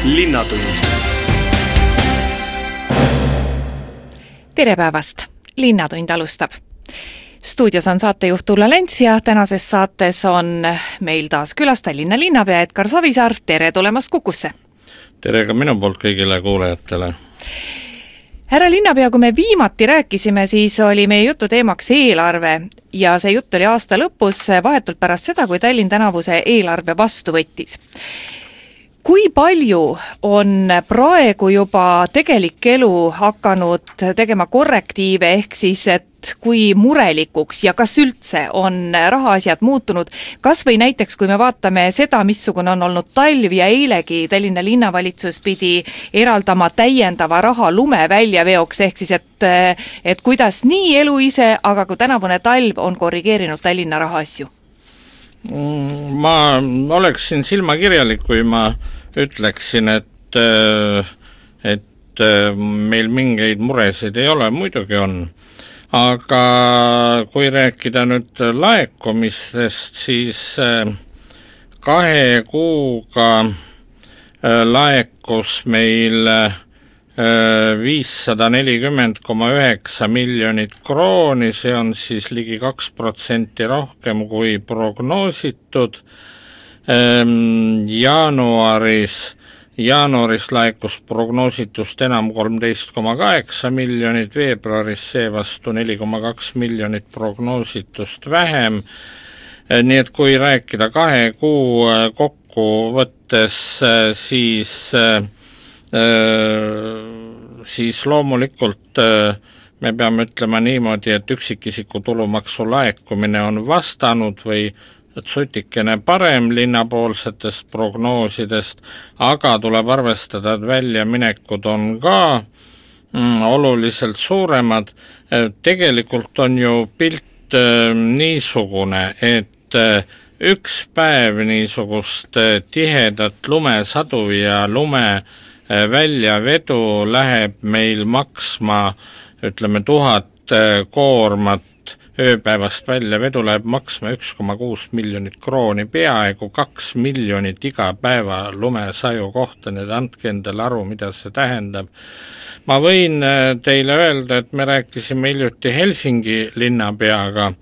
Linnatund. Tere päevast! Linnatund alustab. Stuudios on saatejuht Ulla Lents ja tänases saates on meil taas külas Tallinna linnapea Edgar Savisaar. Tere tulemast Kukusse! Tere ka minu poolt kõigile kuulajatele. Härra linnapea, kui me viimati rääkisime, siis oli meie jutu teemaks eelarve ja see jutt oli aasta lõpus vahetult pärast seda, kui Tallinn tänavuse eelarve vastu võttis. Kui palju on praegu juba tegelik elu hakanud tegema korrektiive ehk siis, et kui murelikuks ja kas üldse on rahaasjad muutunud, kas või näiteks kui me vaatame seda, missugune on olnud talv ja eilegi Tallinna linnavalitsus pidi eraldama täiendava raha lume väljaveoks ehk siis, et kuidas nii elu ise, aga kui tänavune talv on korrigeerinud Tallinna rahaasju? Ma oleksin silmakirjalik, kui ma ütleksin, et meil mingeid muresid ei ole, muidugi on. Aga kui rääkida nüüd laekumistest, siis 2 kuuga laekus meil 540,9 miljonit krooni, see on siis ligi 2% rohkem kui prognoositud. Jaanuaris laekus prognoositust enam 13,8 miljonit, veebruaris seevastu 4,2 miljonit prognoositust vähem. Nii et kui rääkida 2 kuu kokku võttes, siis loomulikult me peame ütlema niimoodi, et üksikisiku tulumaksu laekumine on vastanud või sutikene parem linnapoolsetest prognoosidest, aga tuleb arvestada, et väljaminekud on ka oluliselt suuremad. Tegelikult on ju pilt niisugune, et üks päev niisugust tihedat lumesadu ja lume väljavedu läheb meil maksma, ütleme 1000 koormat, ööpäevast väljavedu läheb maksma 1,6 miljonit krooni, peaaegu 2 miljonit iga päeva lumesaju kohta, nüüd andke endale aru, mida see tähendab. Ma võin teile öelda, et me rääkisime hiljuti Helsingi linnapeaga.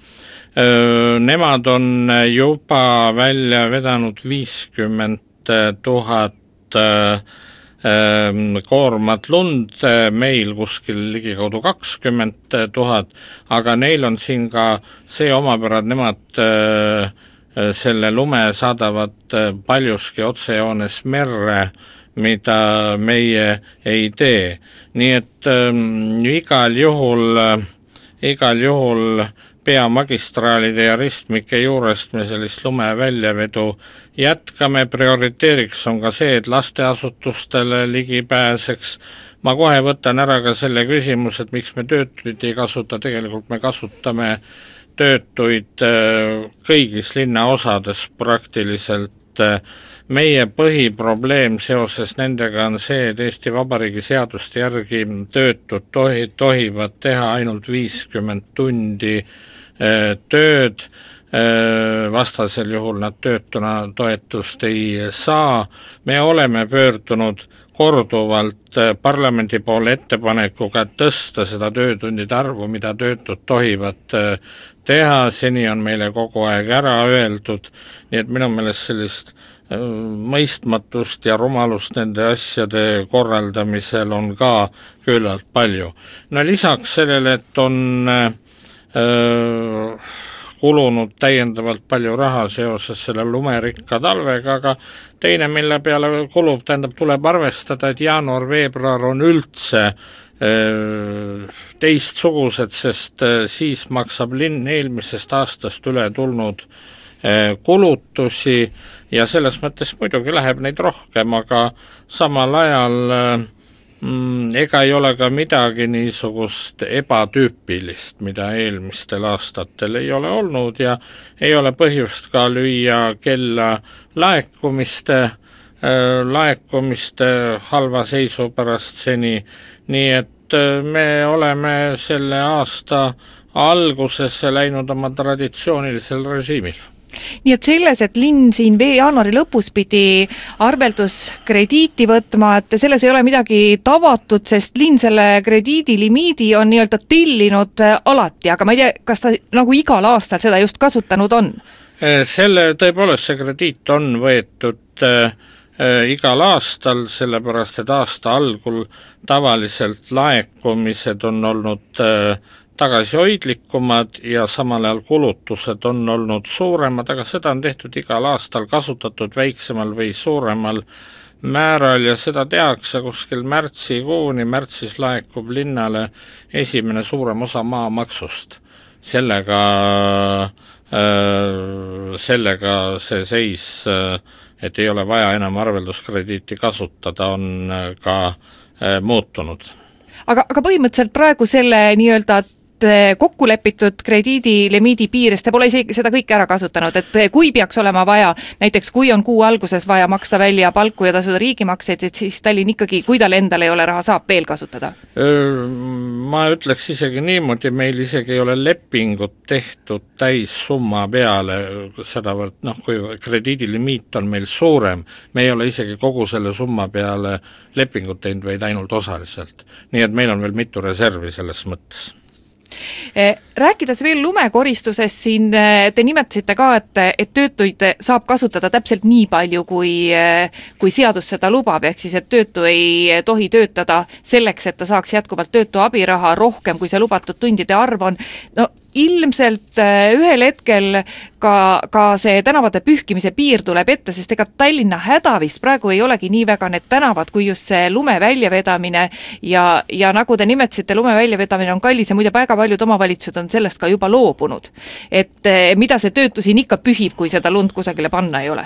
Nemad on juba välja vedanud 50 000 koormat lund, meil kuskil ligikaudu 20 000, aga neil on siin ka see omapärad, nemad selle lume saadavad paljuski otsejoones merre, mida meie ei tee. Nii et igal juhul peamagistraalide ja ristmike juurest me sellist lume väljavedu jätkame. Prioriteeriks on ka see, et lasteasutustele ligi pääseks. Ma kohe võtan ära ka selle küsimus, et miks me töötuid ei kasuta. Tegelikult me kasutame töötuid kõigis linnaosades praktiliselt. Meie põhiprobleem seoses nendega on see, et Eesti Vabariigi seaduste järgi töötud tohivad teha ainult 50 tundi tööd, vastasel juhul nad töötuna toetust ei saa. Me oleme pöördunud korduvalt parlamendi poole ettepanekuga tõsta seda töötundide arvu, mida töötud tohivad teha, seni on meile kogu aeg ära öeldud, nii et minu meelest sellist mõistmatust ja rumalust nende asjade korraldamisel on ka küllalt palju. No lisaks sellele, et on kulunud täiendavalt palju raha seoses selle lumerikka talvega, aga teine, mille peale kulub, tuleb arvestada, et jaanuar-veebruar on üldse teistsugused, sest siis maksab linn eelmisest aastast üle tulnud kulutusi ja selles mõttes muidugi läheb neid rohkem, aga samal ajal ega ei ole ka midagi niisugust ebatüüpilist, mida eelmistel aastatel ei ole olnud ja ei ole põhjust ka lüüa kella laekumiste halva seisu pärast seni, nii et me oleme selle aasta algusesse läinud oma traditsioonilisel režiimil. Nii et selles, et linn siin jaanuari lõpus pidi arvelduskrediiti võtma, et selles ei ole midagi tavatut, sest linn selle krediidilimiidi on nii-öelda tillinud alati, aga ma ei tea, kas ta nagu igal aastal seda just kasutanud on? Tõepoolest see krediit on võetud igal aastal, sellepärast et aasta algul tavaliselt laekumised on olnud tagasihoidlikumad ja samal ajal kulutused on olnud suuremad, aga seda on tehtud igal aastal, kasutatud väiksemal või suuremal määral ja seda tehakse kuskil märtsikuuni, märtsis laekub linnale esimene suurem osa maamaksust. Sellega see seis, et ei ole vaja enam arvelduskrediiti kasutada, on ka muutunud. Aga põhimõtteliselt praegu selle nii-öelda kokkulepitud krediidilimiidi piires, te pole isegi seda kõike ära kasutanud, et kui peaks olema vaja, näiteks kui on kuu alguses vaja maksta välja palku ja tasuda riigimakseid, et siis Tallinn ikkagi, kui tal endal ei ole raha, saab veel kasutada? Ma ütleks isegi niimoodi, meil isegi ei ole lepingut tehtud täissumma peale, sedavõrd, kui krediidilimiit on meil suurem, me ei ole isegi kogu selle summa peale lepingut teinud, vaid ainult osaliselt. Nii et meil on veel mitu reservi selles mõttes. Rääkides veel lumekoristusest, siin te nimetasite ka, et töötuid saab kasutada täpselt nii palju, kui seadus seda lubab, ehk siis, et töötu ei tohi töötada selleks, et ta saaks jätkuvalt töötu abiraha rohkem, kui see lubatud tundide arv on. No ilmselt ühel hetkel ka see tänavate pühkimise piir tuleb ette, sest ega Tallinna häda vist praegu ei olegi nii väga need tänavad, kui just see lume väljavedamine ja nagu te nimetasite, lume väljavedamine on kallis ja muide väga paljud omavalitsused on sellest ka juba loobunud. Et mida see töötu siin ikka pühib, kui seda lund kusagile panna ei ole?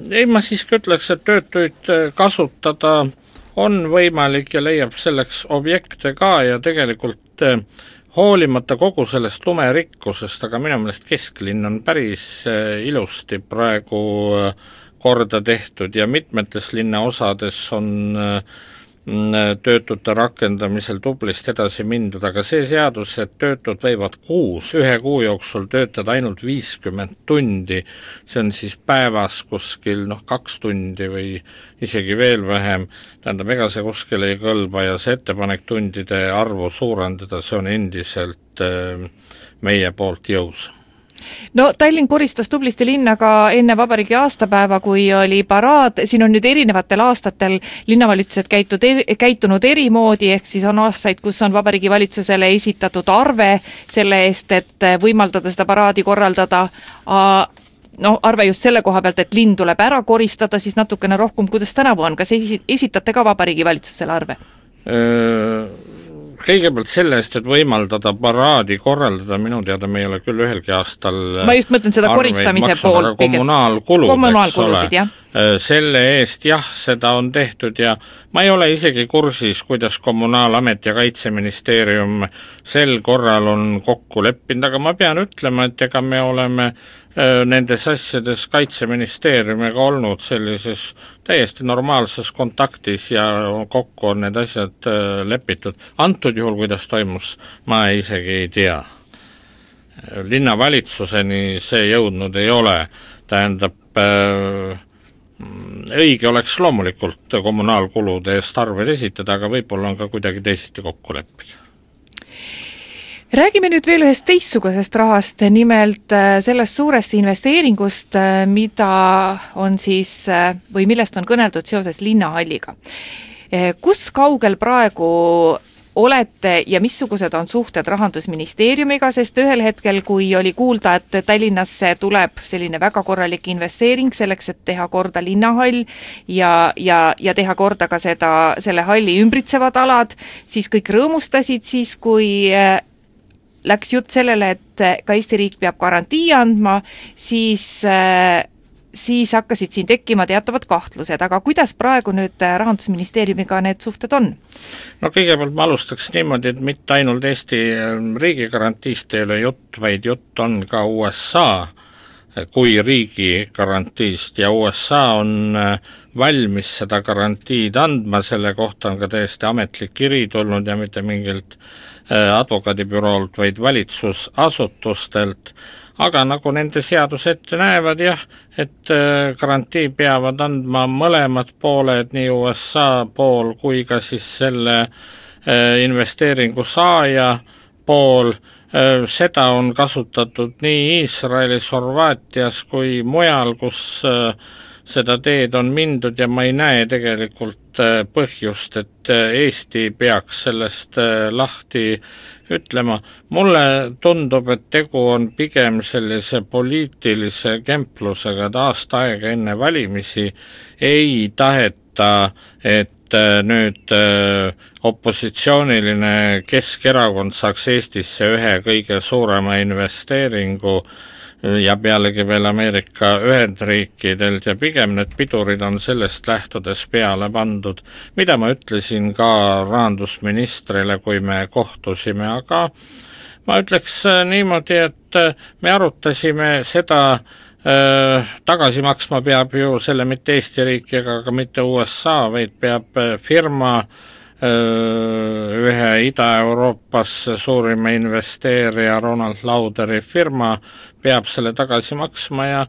Ei, ma siiski ütleks, et töötuid kasutada on võimalik ja leiab selleks objekte ka ja tegelikult hoolimata kogu sellest lumerikkusest, aga minu meelest kesklinn on päris ilusti praegu korda tehtud ja mitmetes linnaosades on töötute rakendamisel tublisti edasi mindud, aga see seadus, et töötud võivad ühe kuu jooksul töötada ainult 50 tundi, see on siis päevas kuskil 2 tundi või isegi veel vähem, tähendab, ega see kuskil ei kõlba ja see ettepanek tundide arvu suurendada, see on endiselt meie poolt jõus. No Tallinn koristas tublisti linna ka enne vabariigi aastapäeva, kui oli paraad, siin on nüüd erinevatel aastatel linnavalitsused käitunud erimoodi, ehk siis on aastaid, kus on vabariigi valitsusele esitatud arve selle eest, et võimaldada seda paraadi korraldada, arve just selle koha pealt, et linn tuleb ära koristada, siis natukene rohkem, kuidas tänavu on, kas esitate ka vabariigi valitsusele arve? Kõigepealt selle eest, et võimaldada paraadi korraldada, minu teada me ei ole küll ühelgi aastal ma just mõtlen seda koristamise pool. Kommunaalkulusid, jah. Selle eest seda on tehtud ja ma ei ole isegi kursis, kuidas Kommunaalamet ja Kaitseministeerium sel korral on kokku leppinud, aga ma pean ütlema, et ega me oleme nendes asjades Kaitseministeeriumiga olnud sellises täiesti normaalses kontaktis ja kokku on need asjad lepitud. Antud juhul, kuidas toimus, ma isegi ei tea. Linnavalitsuseni see jõudnud ei ole, tähendab, õige oleks loomulikult kommunaalkulude eest arved esitada, aga võib-olla on ka kuidagi teisiti kokku leppida. Räägime nüüd veel ühest teistsugusest rahast, nimelt sellest suurest investeeringust, mida on siis, või millest on kõneldud seoses linnahalliga. Kus kaugel praegu olete ja missugused on suhted Rahandusministeeriumiga, sest ühel hetkel, kui oli kuulda, et Tallinnasse tuleb selline väga korralik investeering selleks, et teha korda linnahall ja teha korda ka selle halli ümbritsevad alad, siis kõik rõõmustasid siis, kui läks jutt sellele, et ka Eesti riik peab garantii andma, siis hakkasid siin tekkima teatavad kahtlused, aga kuidas praegu nüüd Rahandusministeeriumiga need suhted on? No kõigepealt ma alustaks niimoodi, et mitte ainult Eesti riigi garantiist ei ole jutt, vaid jutt on ka USA kui riigi garantiist ja USA on valmis seda garantiid andma, selle kohta on ka täiesti ametlik kiri tulnud ja mitte mingilt advokaadibüroolt, vaid valitsusasutustelt, aga nagu nende seadus ette näevad jah, et garantii peavad andma mõlemad pooled, nii USA pool kui ka siis selle investeeringu saaja pool. Seda on kasutatud nii Iisraelis, Horvaatias kui mujal, kus seda teed on mindud ja ma ei näe tegelikult põhjust, et Eesti peaks sellest lahti ütlema. Mulle tundub, et tegu on pigem sellise poliitilise kemplusega, et aasta aega enne valimisi ei taheta, et nüüd opositsiooniline Keskerakond saaks Eestisse ühe kõige suurema investeeringu ja pealegi veel Ameerika Ühendriikidelt ja pigem need pidurid on sellest lähtudes peale pandud, mida ma ütlesin ka rahandusministrile, kui me kohtusime, aga ma ütleks niimoodi, et me arutasime seda, tagasi maksma peab ju selle mitte Eesti riik ega ka mitte USA, vaid peab firma ühe Ida-Euroopas suurima investeerija Ronald Lauderi firma peab selle tagasi maksma ja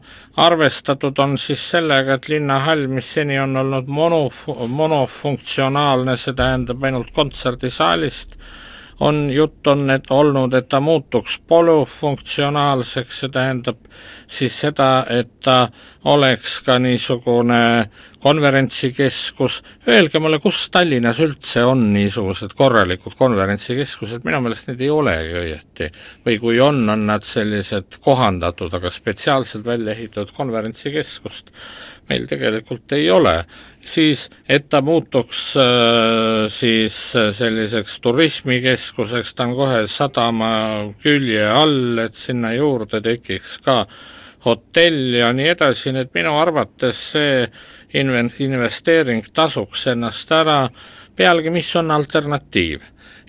arvestatud on siis sellega, et linnahall, mis seni on olnud monofunktsionaalne, see tähendab ainult kontserdisaalist, jutt on olnud, et ta muutuks polüfunktsionaalseks, see tähendab siis seda, et ta oleks ka niisugune konverentsikeskus. Öelge mulle, kus Tallinnas üldse on niisugused korralikud konverentsikeskused, minu meelest need ei olegi õieti. Või kui on nad sellised kohandatud, aga spetsiaalselt välja ehitatud konverentsikeskust meil tegelikult ei ole. Siis, et ta muutuks siis selliseks turismikeskuseks, ta on kohe sadama külje all, et sinna juurde tekiks ka hotell ja nii edasi, nii et minu arvates see investeering tasuks ennast ära. Pealegi, mis on alternatiiv?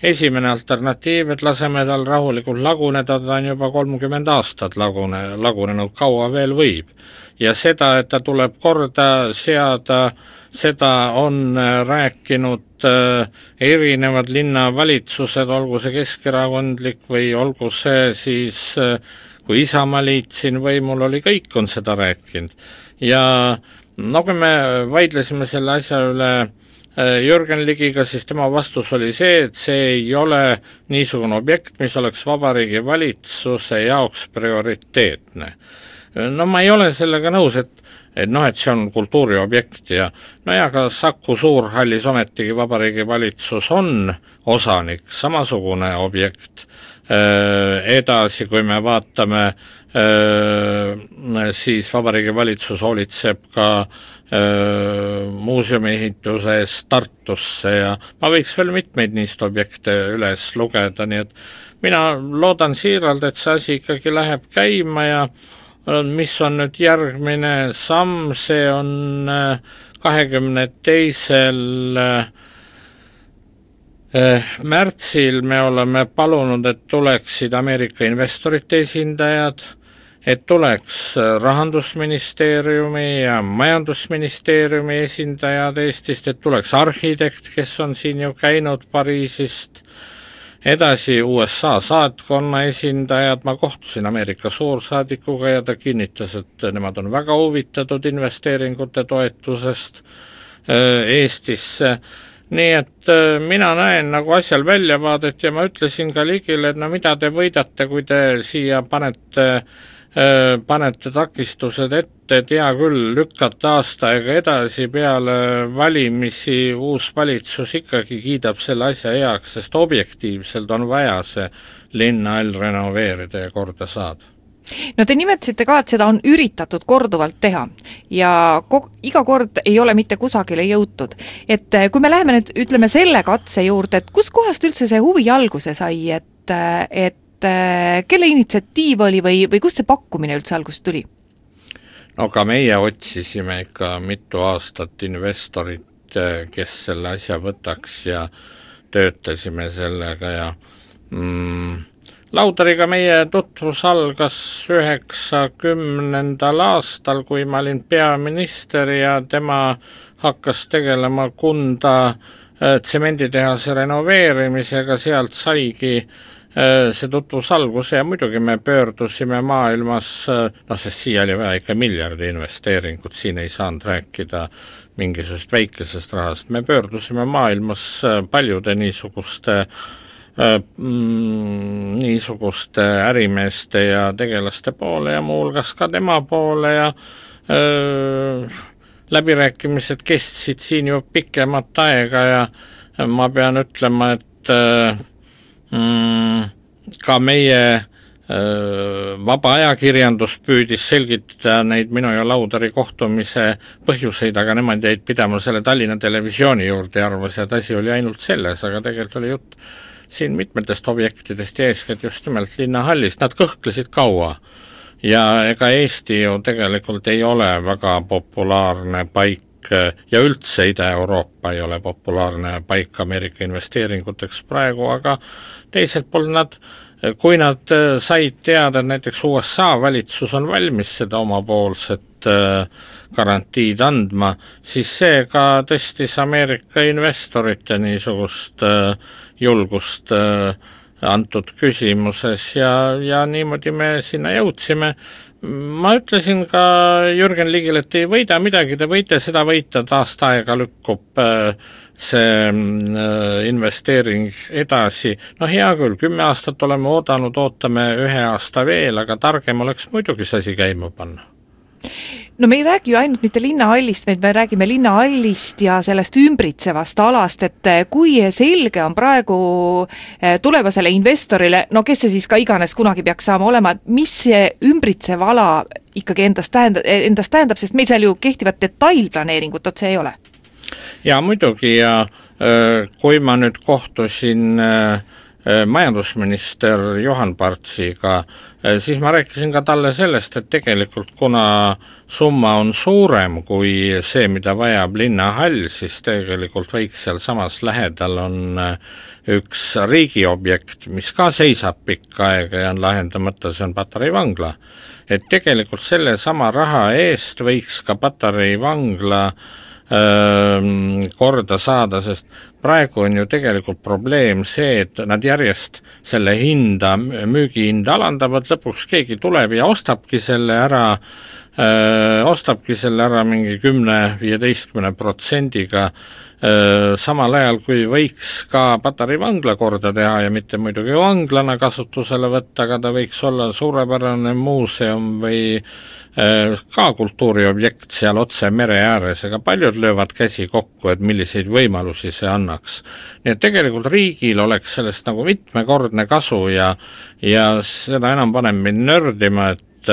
Esimene alternatiiv, et laseme tal rahulikult laguneda, ta on juba 30 aastat lagunenud, kaua veel võib. Ja seda, et ta tuleb korda seada, seda on rääkinud erinevad linnavalitsused, olgu see keskerakondlik või olgu see siis, kui Isamaaliit siin võimul oli, kõik on seda rääkinud. Ja kui me vaidlesime selle asja üle Jürgen Ligiga, siis tema vastus oli see, et see ei ole niisugune objekt, mis oleks Vabariigi Valitsuse jaoks prioriteetne. Ma ei ole sellega nõus, et see on kultuuriobjekt ja ka Saku Suurhallis ometigi Vabariigi Valitsus on osanik, samasugune objekt. Edasi, kui me vaatame, siis Vabariigi Valitsus hoolitseb ka muuseumi ehituse eest Tartusse ja ma võiks veel mitmeid niist objekte üles lugeda, nii et mina loodan siiralt, et see asi ikkagi läheb käima ja mis on nüüd järgmine samm, see on 22. märtsil me oleme palunud, et tuleksid Ameerika investorite esindajad, et tuleks Rahandusministeeriumi ja Majandusministeeriumi esindajad Eestist, et tuleks arhitekt, kes on siin ju käinud Pariisist, edasi USA saatkonna esindajad, ma kohtusin Ameerika suursaadikuga ja ta kinnitas, et nemad on väga huvitatud investeeringute toetusest Eestisse. Nii et mina näen nagu asjal väljavaadet ja ma ütlesin ka Ligile, et mida te võidate, kui te siia panete takistused ette, et hea küll, lükkate aasta aega edasi, peale valimisi uus valitsus ikkagi kiidab selle asja heaks, sest objektiivselt on vaja see linnahall renoveerida ja korda saada. No te nimetasite ka, et seda on üritatud korduvalt teha ja iga kord ei ole mitte kusagile jõutud. Et kui me läheme nüüd, ütleme selle katse juurde, et kus kohast üldse see huvi alguse sai, et kelle initsiatiiv oli või kust see pakkumine üldse algust tuli? No ka meie otsisime ikka mitu aastat investorit, kes selle asja võtaks ja töötasime sellega ja Lauderiga meie tutvus algas 90. aastal, kui ma olin peaminister ja tema hakkas tegelema Kunda tsemenditehase renoveerimisega, sealt saigi see tutvus alguse ja muidugi me pöördusime maailmas, sest siia oli vaja ikka miljardi investeeringut, siin ei saanud rääkida mingisugust väikesest rahast, me pöördusime maailmas paljude niisuguste ärimeeste ja tegelaste poole ja muuhulgas ka tema poole ja läbirääkimised kestsid siin ju pikemat aega ja ma pean ütlema, et ka meie vaba ajakirjandus püüdis selgitada neid minu ja Laudari kohtumise põhjuseid, aga nemad jäid pidama selle Tallinna Televisiooni juurde ja arvas, et asi oli ainult selles, aga tegelikult oli jutt siin mitmetest objektidest ja eeskätt just nimelt linnahallist, nad kõhklesid kaua ja ega Eesti ju tegelikult ei ole väga populaarne paik ja üldse Ida-Euroopa ei ole populaarne paik Ameerika investeeringuteks praegu, aga teiselt poolt kui nad said teada, et näiteks USA valitsus on valmis seda omapoolset garantiid andma, siis see ka tõstis Ameerika investorite niisugust julgust antud küsimuses ja niimoodi me sinna jõudsime. Ma ütlesin ka Jürgen Ligile, et ei võida midagi, te võite seda võita, aasta aega lükkub see investeering edasi. Hea küll, 10 aastat oleme ootame 1 aasta veel, aga targem oleks muidugi see asi käima panna. No me ei räägi ju ainult mitte linnahallist, vaid me räägime linnahallist ja sellest ümbritsevast alast, et kui selge on praegu tulevasele investorile, kes see siis ka iganes kunagi peaks saama olema, mis see ümbritsev ala ikkagi endast tähendab, sest meil seal ju kehtivat detailplaneeringut otse ei ole. Ja muidugi ja kui ma nüüd kohtusin majandusminister Johan Partsiga, siis ma rääkisin ka talle sellest, et tegelikult kuna summa on suurem kui see, mida vajab linnahall, siis tegelikult võiks seal samas lähedal on üks riigiobjekt, mis ka seisab pikka aega ja on lahendamata, see on Patarei vangla. Et tegelikult selle sama raha eest võiks ka Patarei vangla korda saada, sest praegu on ju tegelikult probleem see, et nad järjest selle müügihinda alandavad, lõpuks keegi tuleb ja ostabki selle ära mingi 10-15%, samal ajal kui võiks ka Patarei vangla korda teha ja mitte muidugi vanglana kasutusele võtta, aga ta võiks olla suurepärane muuseum või ka kultuuriobjekt seal otse mere ääres, aga paljud löövad käsi kokku, et milliseid võimalusi see annaks. Nii et tegelikult riigil oleks sellest nagu mitmekordne kasu ja seda enam paneb mind nördima, et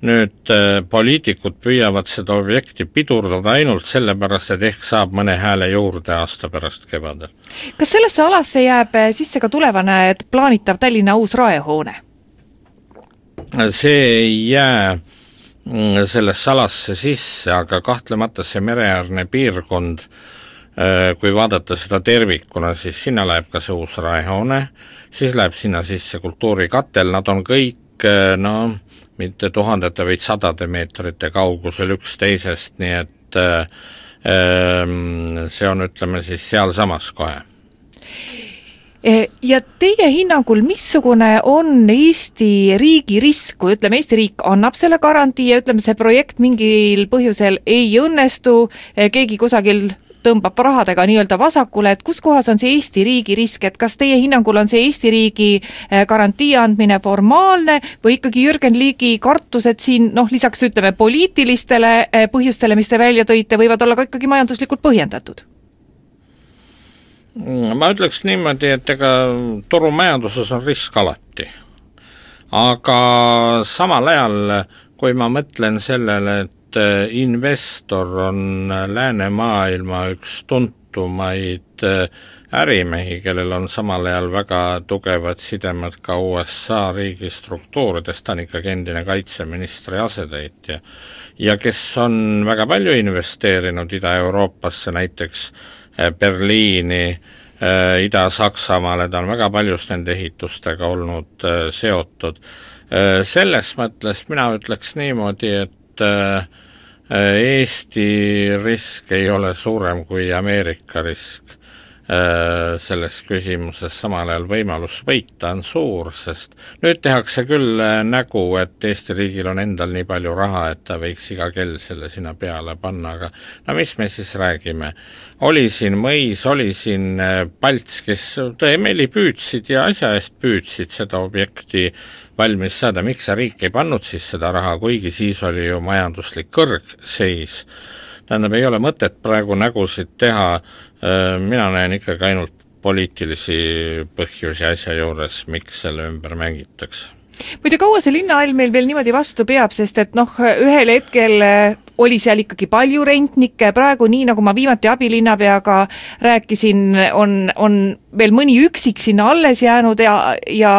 nüüd poliitikud püüavad seda objekti pidurdada ainult sellepärast, et ehk saab mõne hääle juurde aasta pärast kevadel. Kas sellesse alasse jääb sisse ka tulevane plaanitav Tallinna uus raehoone? See ei jää sellesse alasse sisse, aga kahtlemata see mereäärne piirkond, kui vaadata seda tervikuna, siis sinna läheb ka see uus raehoone, siis läheb sinna sisse kultuurikatel, nad on kõik mitte tuhandete, vaid 100 meetrite kaugusel üksteisest, nii et see on, ütleme siis seal samas kohe. Ja teie hinnangul, missugune on Eesti riigi risk, kui ütleme, Eesti riik annab selle garantii ja ütleme, see projekt mingil põhjusel ei õnnestu, keegi kusagil tõmbab rahadega nii-öelda vasakule, et kus kohas on see Eesti riigi risk, et kas teie hinnangul on see Eesti riigi garantii andmine formaalne või ikkagi Jürgen Ligi kartus, et siin lisaks ütleme poliitilistele põhjustele, mis te välja tõite, võivad olla ka ikkagi majanduslikult põhjendatud? Ma ütleks niimoodi, et ega turumajanduses on risk alati. Aga samal ajal, kui ma mõtlen sellele, et investor on läänemaailma üks tuntumaid ärimehi, kellel on samal ajal väga tugevad sidemed ka USA riigi struktuuridest, ta on ikkagi endine kaitseministri asetäitja ja kes on väga palju investeerinud Ida-Euroopasse, näiteks Berliini, Ida-Saksamaale, ta on väga paljus nende ehitustega olnud seotud. Selles mõttes mina ütleks niimoodi, et Eesti risk ei ole suurem kui Ameerika risk. selles küsimuses, samal ajal võimalus võita on suur, sest nüüd tehakse küll nägu, et Eesti riigil on endal nii palju raha, et ta võiks iga kell selle sinna peale panna, aga no mis me siis räägime? Oli siin Mõis, oli siin Palts, kes tõemeeli püüdsid ja asja eest püüdsid seda objekti valmis saada, miks see riik ei pannud siis seda raha, kuigi siis oli ju majanduslik kõrgseis. Tähendab, ei ole mõtet praegu nägusid teha, mina näen ikkagi ainult poliitilisi põhjusi asja juures, miks selle ümber mängitakse. Muide, kaua see linnahall meil veel niimoodi vastu peab, sest et ühel hetkel oli seal ikkagi palju rentnikke, praegu nii, nagu ma viimati abilinnapeaga rääkisin, on veel mõni üksik sinna alles jäänud ja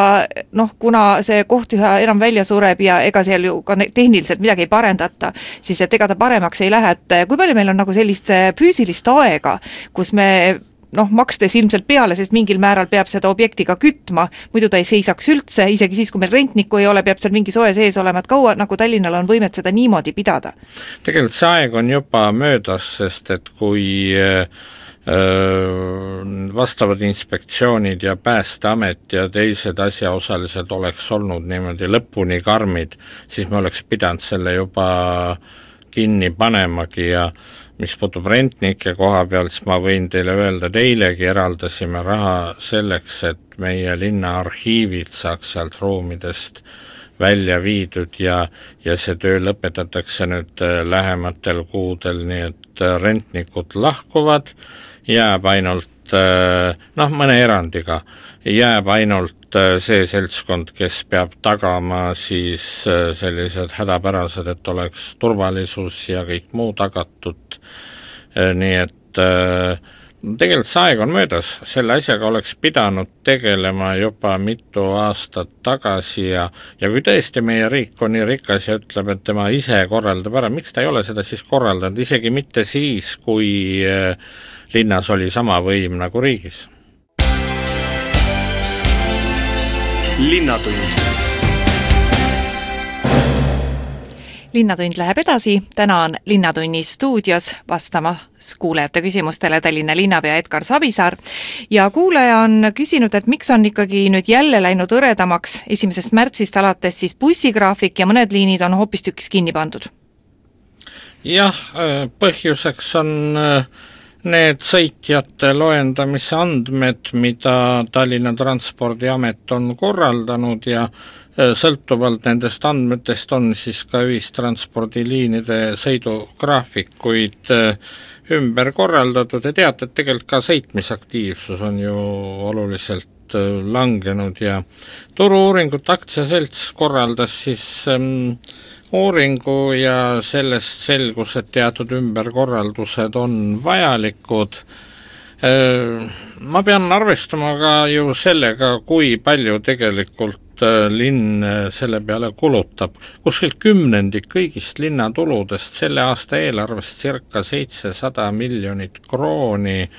kuna see koht üha enam välja sureb ja ega seal ju ka tehniliselt midagi ei parendata, siis et ega ta paremaks ei lähe, et kui palju meil on nagu sellist füüsilist aega, kus me makstes ilmselt peale, sest mingil määral peab seda objektiga kütma, muidu ta ei seisaks üldse, isegi siis, kui meil rentnikku ei ole, peab seal mingi soe sees olema, et kaua nagu Tallinnal on võimet seda niimoodi pidada? Tegelikult see aeg on juba möödas, sest et kui vastavad inspektsioonid ja Päästeamet ja teised asjaosalised oleks olnud niimoodi lõpuni karmid, siis me oleks pidanud selle juba kinni panemagi ja mis puutub rentnike koha pealt, siis ma võin teile öelda, et eilegi eraldasime raha selleks, et meie linna arhiivid saaks sealt ruumidest välja viidud ja see töö lõpetatakse nüüd lähematel kuudel, nii et rentnikud lahkuvad, jääb ainult, mõne erandiga, jääb ainult see seltskond, kes peab tagama siis sellised hädapärased, et oleks turvalisus ja kõik muu tagatud, nii et tegelikult see aeg on möödas, selle asjaga oleks pidanud tegelema juba mitu aastat tagasi ja kui tõesti meie riik on nii rikas ja ütleb, et tema ise korraldab ära, miks ta ei ole seda siis korraldanud, isegi mitte siis, kui linnas oli sama võim nagu riigis. Linnatund. Linnatund läheb edasi, täna on Linnatunni stuudios vastamas kuulajate küsimustele Tallinna linnapea Edgar Savisaar ja kuulaja on küsinud, et miks on ikkagi nüüd jälle läinud õredamaks 1. märtsist alates siis bussigraafik ja mõned liinid on hoopistükkis kinni pandud? Jah, põhjuseks on need sõitjate loendamise andmed, mida Tallinna Transpordiamet on korraldanud ja sõltuvalt nendest andmetest on siis ka ühistranspordiliinide sõidugraafikuid ümber korraldatud ja teate, et tegelikult ka sõitmisaktiivsus on ju oluliselt langenud ja Turu-uuringute aktsiaselts korraldas siis uuringu ja sellest selgus, et teatud ümberkorraldused on vajalikud. Ma pean arvestama ka ju sellega, kui palju tegelikult linn selle peale kulutab. Kuskilt 10% kõigist linnatuludest selle aasta eelarvest circa 700 miljonit krooni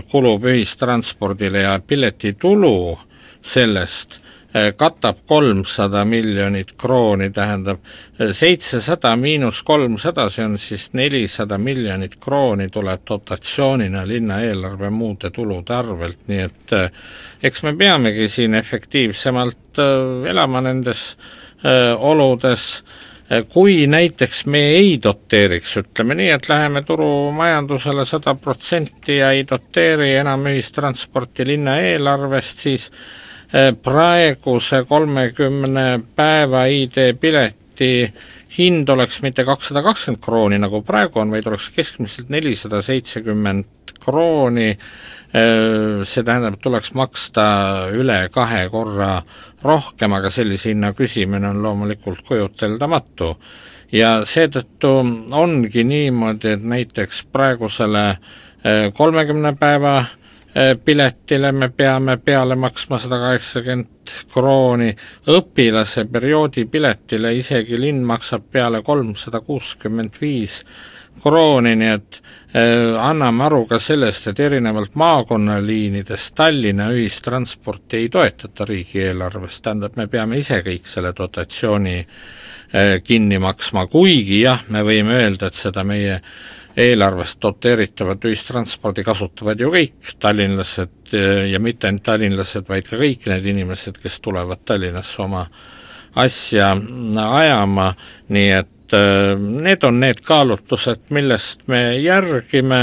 kulub ühistranspordile ja piletitulu sellest katab 300 miljonit krooni, tähendab 700 miinus 300, see on siis 400 miljonit krooni tuleb dotatsioonina linna eelarve muude tulude arvelt, nii et eks me peamegi siin efektiivsemalt elama nendes oludes, kui näiteks me ei doteeriks, ütleme nii, et läheme turumajandusele 100% ja ei doteeri enam ühistransporti linna eelarvest, siis praeguse 30 päeva ID-pileti hind oleks mitte 220 krooni, nagu praegu on, vaid oleks keskmiselt 470 krooni, see tähendab, et tuleks maksta üle 2 korra rohkem, aga sellise hinna küsimine on loomulikult kujuteldamatu. Ja seetõttu ongi niimoodi, et näiteks praegusele 30 päeva piletile me peame peale maksma 180 krooni, õpilase perioodi piletile isegi linn maksab peale 365 krooni, nii et anname aru ka sellest, et erinevalt maakonnaliinidest Tallinna ühistransporti ei toetata riigieelarvest, tähendab, me peame ise kõik selle dotatsiooni kinni maksma, kuigi jah, me võime öelda, et seda meie eelarvest doteeritavat ühistranspordi kasutavad ju kõik tallinlased ja mitte ainult tallinlased, vaid ka kõik need inimesed, kes tulevad Tallinnasse oma asja ajama, nii et need on need kaalutlused, millest me järgime,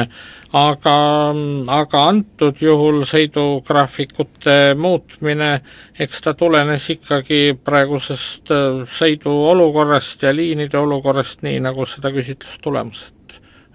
aga antud juhul sõidugraafikute muutmine, eks ta tulenes ikkagi praegusest sõiduolukorrast ja liinide olukorrast, nii nagu seda küsitlustulemused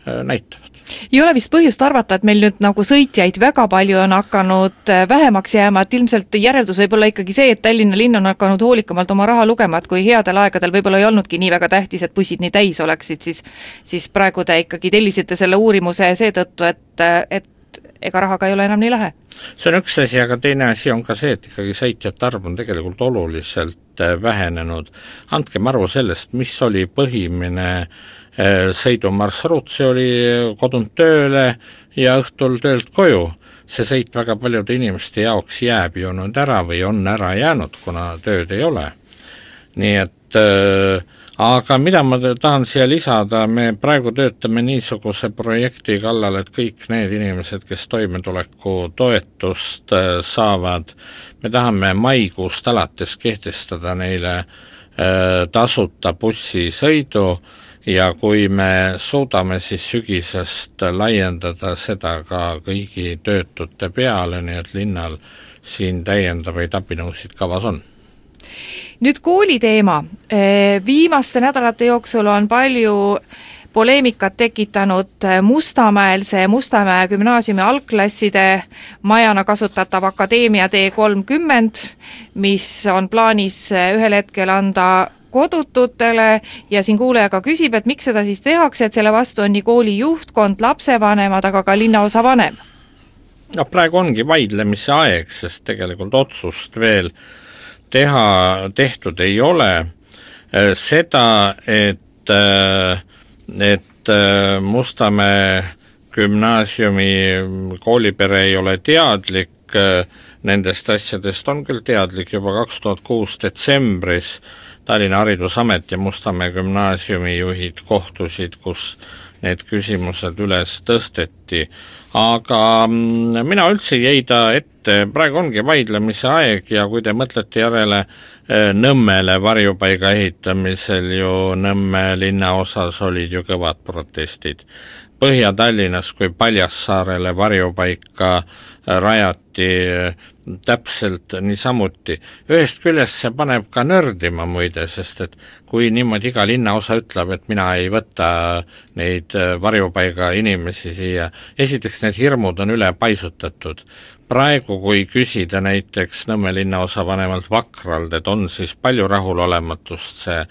näitavad. Ei ole vist põhjust arvata, et meil nüüd nagu sõitjaid väga palju on hakanud vähemaks jääma, et ilmselt järeldus võib olla ikkagi see, et Tallinna linn on hakanud hoolikamalt oma raha lugema, et kui headel aegadel võib-olla ei olnudki nii väga tähtis, et bussid nii täis oleksid, siis praegu te ikkagi tellisite selle uurimuse seetõttu, et ega rahaga ei ole enam nii lähe. See on üks asi, aga teine asi on ka see, et ikkagi sõitjate arv on tegelikult oluliselt vähenenud. Andkem arvu sellest, mis oli põhimine sõidumarsruut, see oli kodunt tööle ja õhtul töölt koju. See sõit väga paljude inimeste jaoks jääb ju nüüd ära või on ära jäänud, kuna tööd ei ole. Nii et aga mida ma tahan siia lisada, me praegu töötame niisuguse projekti kallal, et kõik need inimesed, kes toimetuleku toetust saavad, me tahame maikuust alates kehtestada neile tasuta bussisõidu ja kui me suudame siis sügisest laiendada seda ka kõigi töötute peale, nii et linnal siin täiendavaid abinõusid kavas on. Nüüd kooli teema. Viimaste nädalate jooksul on palju poleemikat tekitanud Mustamäe gümnaasiumi algklasside majana kasutatav Akadeemia D30, mis on plaanis ühel hetkel anda kodututele ja siin kuulajaga küsib, et miks seda siis tehakse, et selle vastu on nii kooli juhtkond, lapsevanemad, aga ka linnaosa vanem. No praegu ongi vaidlemise aeg, sest tegelikult otsust veel tehtud ei ole. Seda, et Mustamäe gümnaasiumi koolipere ei ole teadlik nendest asjadest, on küll teadlik juba 2006 detsembris. Tallinna Haridusamet ja Mustamäe gümnaasiumi juhid kohtusid, kus need küsimused üles tõsteti. Aga mina üldse ei heida ette, praegu ongi vaidlemise aeg ja kui te mõtlete järele Nõmmele varjupaiga ehitamisel ju Nõmme linnaosas olid ju kõvad protestid. Põhja-Tallinnas kui Paljassaarele varjupaika rajati täpselt niisamuti. Ühest küljest see paneb ka nördima muide, sest et kui niimoodi iga linnaosa ütleb, et mina ei võta neid varjupaiga inimesi siia, esiteks need hirmud on üle paisutatud. Praegu, kui küsida näiteks Nõmme linnaosa vanemalt Vakrald, et on siis palju rahulolematust see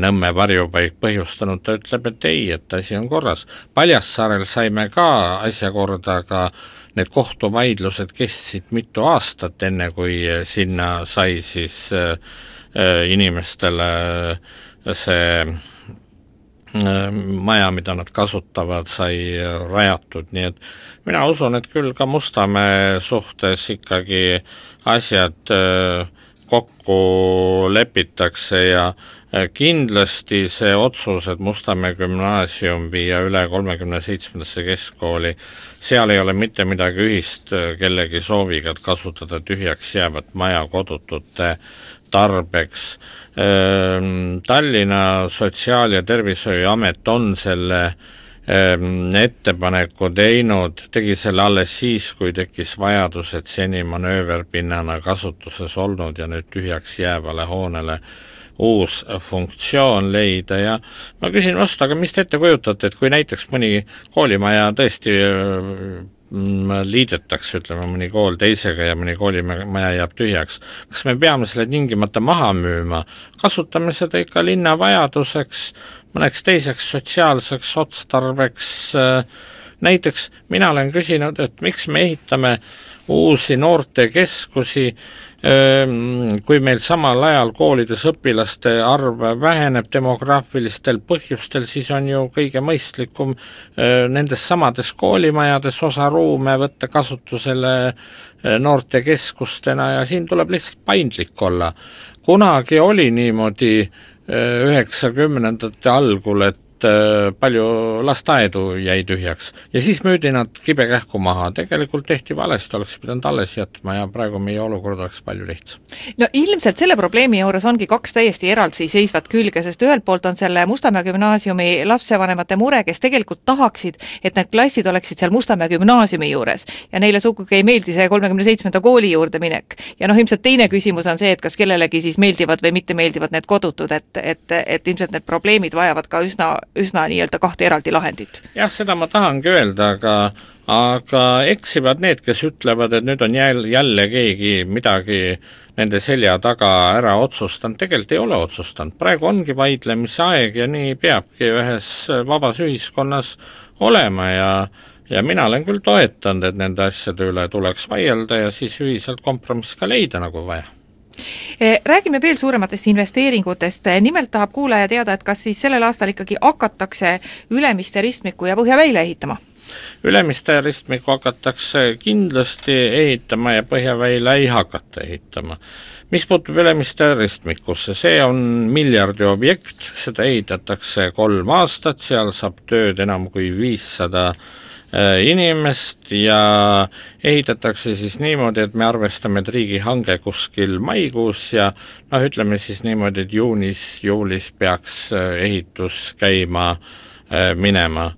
Nõmme varjupaik põhjustanud, ta ütleb, et ei, et asi on korras. Paljassaarel saime ka asja korda, aga need kohtuvaidlused kestsid mitu aastat, enne kui sinna sai siis inimestele see maja, mida nad kasutavad, sai rajatud, nii et mina usun, et küll ka Mustamäe suhtes ikkagi asjad kokku lepitakse ja kindlasti see otsus, et Mustamäe gümnaasium viia üle 37. keskkooli, seal ei ole mitte midagi ühist kellegi sooviga, et kasutada tühjaks jäävat maja kodutute tarbeks. Tallinna Sotsiaal- ja Tervishoiuamet on selle ettepaneku tegi selle alles siis, kui tekkis vajadus, et seni manööverpinnana kasutuses olnud ja nüüd tühjaks jäävale hoonele uus funktsioon leida ja ma küsin vastu, aga mis te ette kujutate, et kui näiteks mõni koolimaja tõesti liidetakse, ütleme mõni kool teisega ja mõni koolimaja jääb tühjaks, kas me peame selle tingimata maha müüma, kasutame seda ikka linna vajaduseks, mõneks teiseks sotsiaalseks otstarbeks, näiteks mina olen küsinud, et miks me ehitame uusi noortekeskusi, kui meil samal ajal koolides õpilaste arv väheneb demograafilistel põhjustel, siis on ju kõige mõistlikum nendes samades koolimajades osa ruume võtta kasutusele noortekeskustena ja siin tuleb lihtsalt paindlik olla. Kunagi oli niimoodi 90ndate algul, et palju lasteaedu jäi tühjaks ja siis müüdi nad kibekähku maha, tegelikult tehti valesti, oleks pidanud alles jätma ja praegu meie olukord oleks palju lihtsam. No ilmselt selle probleemi juures ongi kaks täiesti eraldi seisvat külge, sest ühelt poolt on selle Mustamäe gümnaasiumi lapsevanemate mure, kes tegelikult tahaksid, et need klassid oleksid seal Mustamäe gümnaasiumi juures ja neile sugugi ei meeldi see 37. kooli juurde minek. Ja ilmselt teine küsimus on see, et kas kellelegi siis meeldivad või mitte meeldivad need kodutud, et ilmselt need probleemid vajavad ka üsna nii-öelda kahte eraldi lahendit. Jah, seda ma tahangi öelda, aga eksivad need, kes ütlevad, et nüüd on jälle keegi midagi nende selja taga ära otsustanud, tegelikult ei ole otsustanud. Praegu ongi vaidlemise aeg ja nii peabki ühes vabas ühiskonnas olema ja mina olen küll toetanud, et nende asjade üle tuleks vaielda ja siis ühiselt kompromiss ka leida nagu vaja. Räägime veel suurematest investeeringutest. Nimelt tahab kuulaja teada, et kas siis sellel aastal ikkagi hakatakse Ülemiste ristmiku ja Põhjaväile ehitama? Ülemiste ristmiku hakatakse kindlasti ehitama ja Põhjaväile ei hakata ehitama. Mis puutub Ülemiste ristmikusse, see on miljardi objekt, seda ehitatakse 3 aastat, seal saab tööd enam kui 500 inimest ja ehitatakse siis niimoodi, et me arvestame, et riigihange kuskil maikuus ja ütleme siis niimoodi, et juulis peaks ehitus käima minema.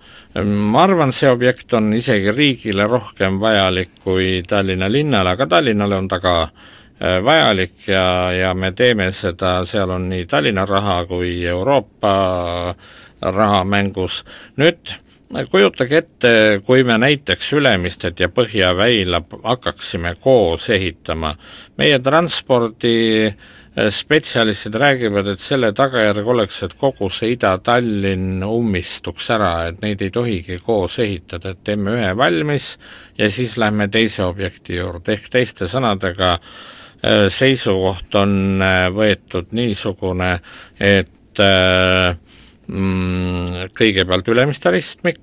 Ma arvan, see objekt on isegi riigile rohkem vajalik kui Tallinna linnale, aga Tallinnale on ta ka vajalik ja me teeme seda, seal on nii Tallinna raha kui Euroopa raha mängus. Nüüd kujutage ette, kui me näiteks Ülemistet ja Põhjaväila hakkaksime koos ehitama. Meie transpordi spetsialistid räägivad, et selle tagajärg oleks, et kogu see Ida-Tallinn ummistuks ära, et neid ei tohigi koos ehitada, et teeme ühe valmis ja siis lähme teise objekti juurde. Ehk teiste sõnadega seisukoht on võetud niisugune, et kõigepealt Ülemiste ristmik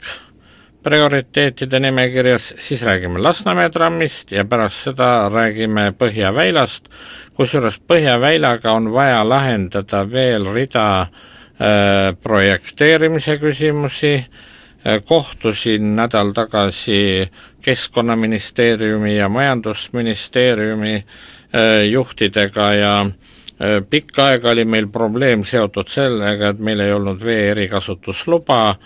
prioriteetide nimekirjas, siis räägime Lasnamäe trammist ja pärast seda räägime Põhjaväilast, kusjuures Põhjaväilaga on vaja lahendada veel rida projekteerimise küsimusi. Kohtusin nädal tagasi Keskkonnaministeeriumi ja Majandusministeeriumi juhtidega ja pikka aega oli meil probleem seotud sellega, et meil ei olnud vee erikasutusluba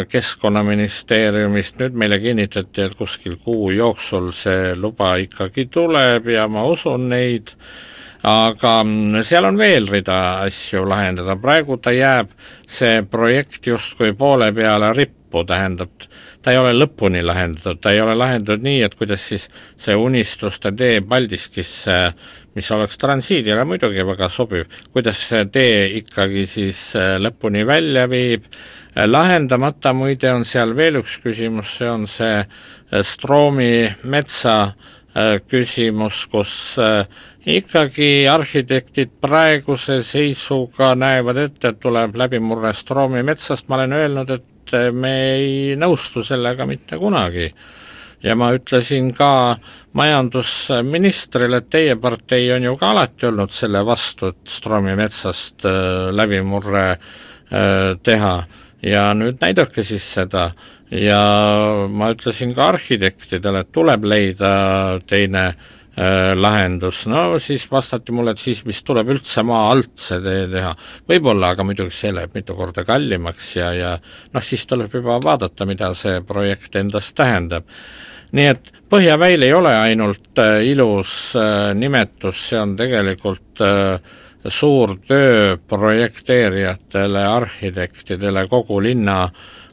Keskkonnaministeeriumist, nüüd meile kinnitati, et kuskil kuu jooksul see luba ikkagi tuleb ja ma usun neid, aga seal on veel rida asju lahendada, praegu ta jääb see projekt justkui poole peale rippu, tähendab, ta ei ole lõpuni lahendatud, ta ei ole lahendatud nii, et kuidas siis see unistuste tee Paldiskisse, mis oleks transiidile muidugi väga sobiv, kuidas see tee ikkagi siis lõpuni välja viib. Lahendamata muide on seal veel üks küsimus, see on see Stroomi metsa küsimus, kus ikkagi arhitektid praeguse seisuga näevad ette, et tuleb läbimurre Stroomi metsast. Ma olen öelnud, et me ei nõustu sellega mitte kunagi. Ja ma ütlesin ka majandusministrile, et teie partei on ju ka alati olnud selle vastu, et Stroomi metsast läbimurre teha. Ja nüüd näidake siis seda ja ma ütlesin ka arhitektidele, et tuleb leida teine lahendus. No siis vastati mulle, et siis mis tuleb üldse maa alt see tee teha. Võib-olla, aga muidugi see läheb mitu korda kallimaks ja siis tuleb juba vaadata, mida see projekt endast tähendab. Nii et Põhjaväil ei ole ainult ilus nimetus, see on tegelikult suur töö projekteerijatele, arhitektidele, kogu linna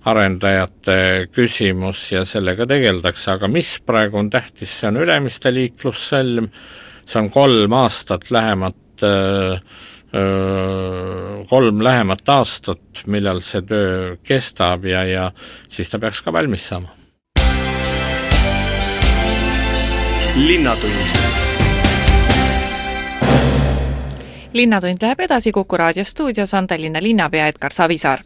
arendajate küsimus ja sellega tegeldakse, aga mis praegu on tähtis, see on Ülemiste liiklussõlm, see on 3 lähemat aastat, millal see töö kestab ja siis ta peaks ka valmis saama. Linnatund. Linnatund läheb edasi, Kuku raadio stuudios on Tallinna linnapea Edgar Savisaar.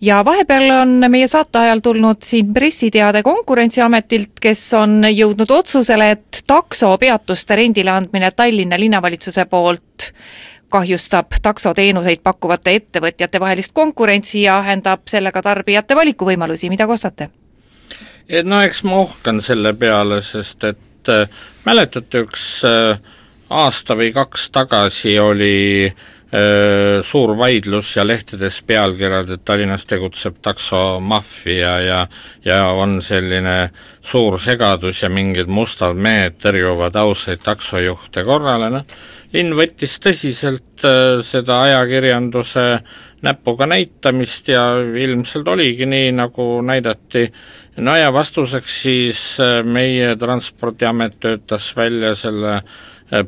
Ja vahepeal on meie saate ajal tulnud siin pressiteade Konkurentsiametilt, kes on jõudnud otsusele, et taksopeatuste rendile andmine Tallinna linnavalitsuse poolt kahjustab taksoteenuseid pakkuvate ettevõtjate vahelist konkurentsi ja vähendab sellega tarbijate valikuvõimalusi, mida kostate? No eks ma uhkan selle peale, sest et mäletate, üks aasta või 2 tagasi oli suur vaidlus ja lehtedes pealkirjad, et Tallinnas tegutseb taksomaffia ja on selline suur segadus ja mingid mustad mehed tõrjuvad ausaid taksojuhte korrale. Linn võttis tõsiselt seda ajakirjanduse näpuga näitamist ja ilmselt oligi nii, nagu näidati. No ja vastuseks siis meie Transpordiamet töötas välja selle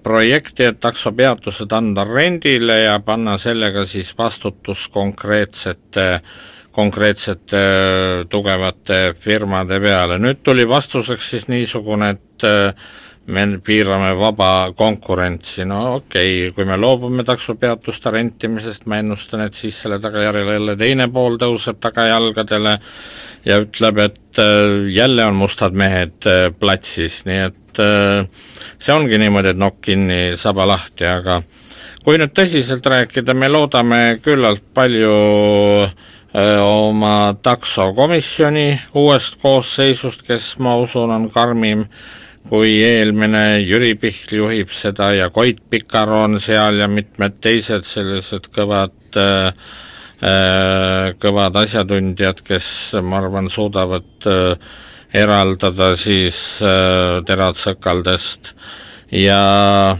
projekti, et taksopeatused anda rendile ja panna sellega siis vastutus konkreetsete tugevate firmade peale. Nüüd tuli vastuseks siis niisugune, et me piirame vaba konkurentsi. No okei, kui me loobume taksopeatuste rentimisest, ma ennustan, et siis selle tagajärjel jälle teine pool tõuseb tagajalgadele ja ütleb, et jälle on mustad mehed platsis, nii et see ongi niimoodi, et nokk kinni, saba lahti, aga kui nüüd tõsiselt rääkida, me loodame küllalt palju oma taksokomisjoni uuest koosseisust, kes ma usun on karmim kui eelmine. Jüri Pihl juhib seda ja Koit Pikar on seal ja mitmed teised sellised kõvad asjatundjad, kes ma arvan suudavad eraldada siis terad sõkaldest ja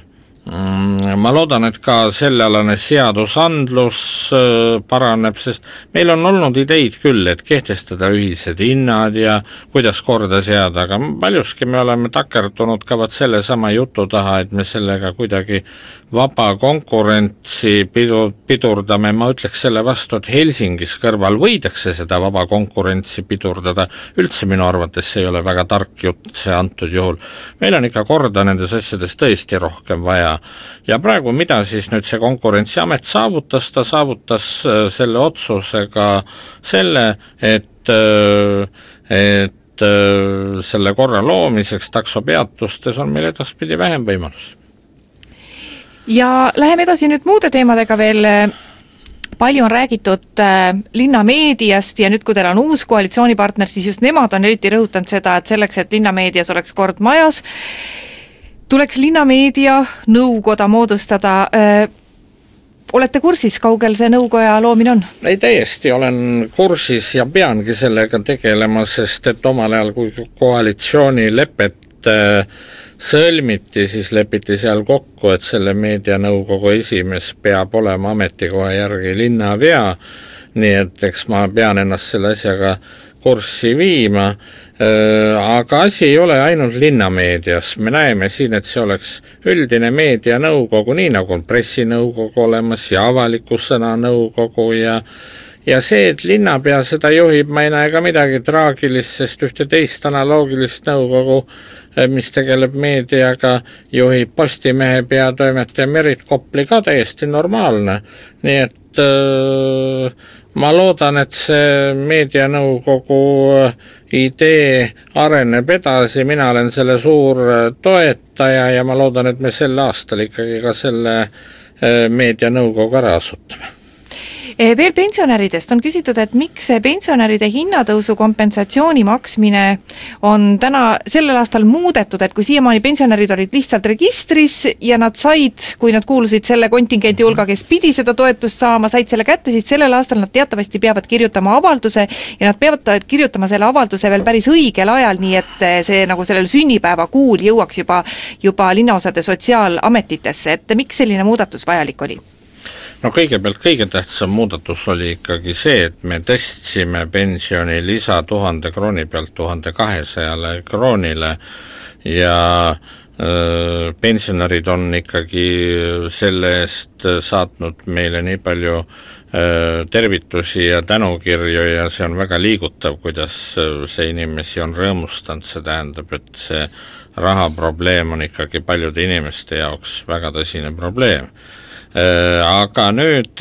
ma loodan, et ka sellealane seadusandlus paraneb, sest meil on olnud ideid küll, et kehtestada ühised hinnad ja kuidas korda seada, aga paljuski me oleme takerdunud ka selle sama jutu taha, et me sellega kuidagi vaba konkurentsi pidurdame. Ma ütleks selle vastu, et Helsingis kõrval võidakse seda vaba konkurentsi pidurdada. Üldse minu arvates see ei ole väga tark jutt see antud juhul. Meil on ikka korda nendes asjades tõesti rohkem vaja. Ja praegu mida siis nüüd see Konkurentsiamet saavutas? Ta saavutas selle otsusega selle, et selle korra loomiseks taksopeatustes on meil edaspidi vähem võimalus. Ja läheme edasi nüüd muude teemadega veel. Palju on räägitud linnameediast ja nüüd, kui teil on uus koalitsioonipartner, siis just nemad on eriti rõhutanud seda, et selleks, et linnameedias oleks kord majas, tuleks linnameedia nõukoda moodustada. Olete kursis, kaugel see nõukoja loomine on? Ei, täiesti olen kursis ja peangi sellega tegelema, sest et omal ajal, kui koalitsioonilepet sõlmiti, siis lepiti seal kokku, et selle meedianõukogu esimees peab olema ametikoha järgi linnapea, nii et eks ma pean ennast selle asjaga kurssi viima, aga asi ei ole ainult linnameedias. Me näeme siin, et see oleks üldine meedianõukogu, nii nagu on pressinõukogu olemas ja avaliku sõna nõukogu ja see, et linnapea seda juhib, ma ei näe ka midagi traagilist, sest ühte teist analoogilist nõukogu, mis tegeleb meediaga, juhib Postimehe peatoimetaja Merit Kopli ka täiesti normaalne. Nii et ma loodan, et see meedianõukogu idee areneb edasi, mina olen selle suur toetaja ja ma loodan, et me sel aastal ikkagi ka selle meedianõukogu ära asutame. Veel pensionäridest on küsitud, et miks see pensionäride hinnatõusu kompensatsiooni maksmine on sellel aastal muudetud, et kui siiamaani pensionärid olid lihtsalt registris ja nad said, kui nad kuulusid selle kontingendi hulga, kes pidi seda toetust saama, said selle kätte, siis sellel aastal nad teatavasti peavad kirjutama avalduse ja nad peavad kirjutama selle avalduse veel päris õigel ajal, nii et see nagu sellel sünnipäeva kuul jõuaks juba linnaosade sotsiaalametitesse, et miks selline muudatus vajalik oli? No kõigepealt kõige tähtsam muudatus oli ikkagi see, et me tõstsime pensioni lisa 1000 krooni pealt 1200 kroonile ja pensionärid on ikkagi selle eest saatnud meile nii palju tervitusi ja tänukirju ja see on väga liigutav, kuidas see inimesi on rõõmustanud, see tähendab, et see rahaprobleem on ikkagi paljude inimeste jaoks väga tõsine probleem. Aga nüüd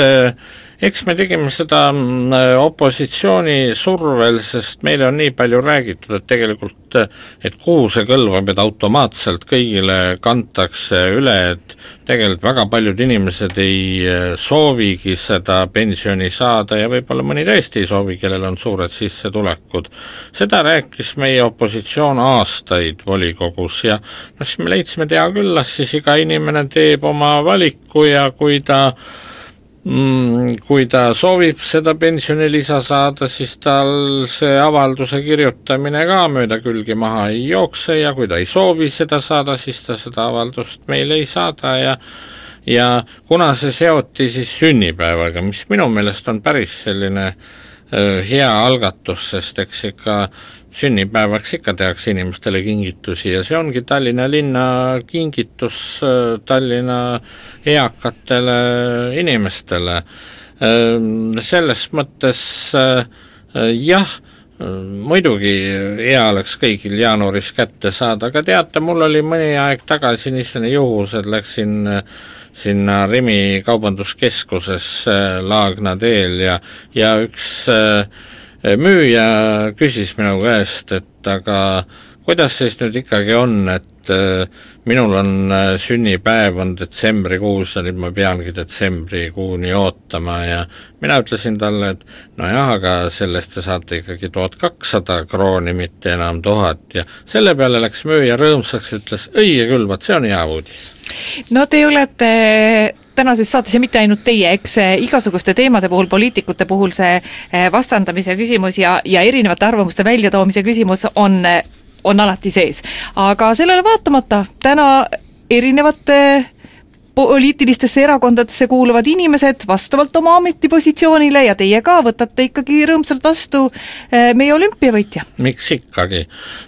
eks me tegime seda opositsiooni survel, sest meile on nii palju räägitud, et tegelikult, et kuhu see kõlvab, et automaatselt kõigile kantakse üle, et tegelikult väga paljud inimesed ei soovigi seda pensioni saada ja võib-olla mõni tõesti ei soovi, kellel on suured sissetulekud. Seda rääkis meie opositsioon aastaid volikogus ja siis me leidsime, et hea küll, las siis iga inimene teeb oma valiku ja kui ta soovib seda pensionilisa saada, siis tal see avalduse kirjutamine ka mööda külgi maha ei jookse ja kui ta ei soovi seda saada, siis ta seda avaldust meile ei saada ja kuna see seoti siis sünnipäevaga, mis minu meelest on päris selline hea algatus, sest eks ikka sünnipäevaks ikka tehakse inimestele kingitusi ja see ongi Tallinna linna kingitus Tallinna eakatele inimestele. Selles mõttes jah, muidugi hea oleks kõigil jaanuaris kätte saada, aga teate, mul oli mõni aeg tagasi niisugune juhus, et läksin sinna Rimi kaubanduskeskuses Laagna teel ja üks müüja küsis minu käest, et aga kuidas siis nüüd ikkagi on, et minul on sünnipäev on detsembrikuus ja nüüd ma peangi detsembrikuuni ootama ja mina ütlesin talle, et nojah, aga sellest te saate ikkagi 1200 krooni, mitte enam 1000 ja selle peale läks müüja rõõmsaks, ütles, õige küll, vaat see on hea uudis. No te olete tänases saates ja mitte ainult teie, eks igasuguste teemade puhul, poliitikute puhul see vastandamise küsimus ja erinevate arvamuste väljatoomise küsimus on alati sees. Aga sellele vaatamata täna erinevate poliitilistesse erakondadesse kuuluvad inimesed vastavalt oma ametipositsioonile ja teie ka võtate ikkagi rõõmsalt vastu meie olümpiavõitja. Miks ikkagi?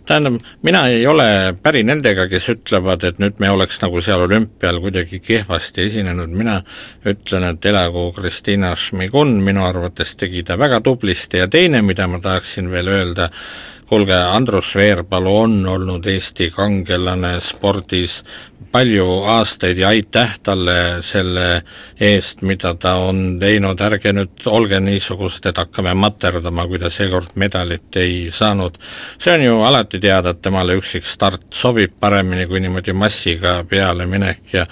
Tähendab, mina ei ole päri nendega, kes ütlevad, et nüüd me oleks nagu seal olümpial kuidagi kehvasti esinenud. Mina ütlen, et elagu Kristina Šmigun, minu arvates tegi ta väga tublisti ja teine, mida ma tahaksin veel öelda, kuulge, Andrus Veerpalu on olnud Eesti kangelane spordis palju aastaid ja aitäh talle selle eest, mida ta on teinud, ärge nüüd olge niisugust, et hakkame materdama, kui ta seekord medalit ei saanud. See on ju alati teada, et temale üksik start sobib paremini kui niimoodi massiga peale minek ja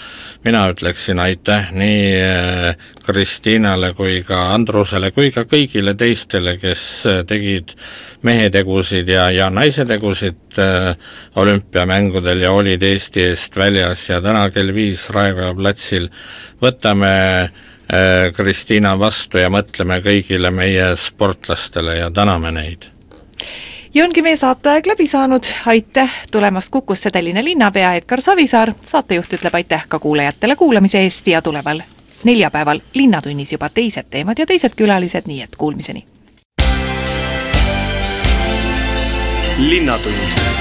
mina ütleksin aitäh nii Kristiinale kui ka Andrusele kui ka kõigile teistele, kes tegid mehetegusid ja naisetegusid olümpiamängudel ja olid Eesti eest väljas ja täna kell 5 Raekoja platsil võtame Kristiina vastu ja mõtleme kõigile meie sportlastele ja täname neid. Ja ongi meie saateaeg läbi saanud. Aitäh tulemast Kukusse Tallinna linnapea Edgar Savisaar. Saatejuht ütleb aitäh ka kuulajatele kuulamise eest ja tuleval neljapäeval Linnatunnis juba teised teemad ja teised külalised, nii et kuulmiseni. Linnatund.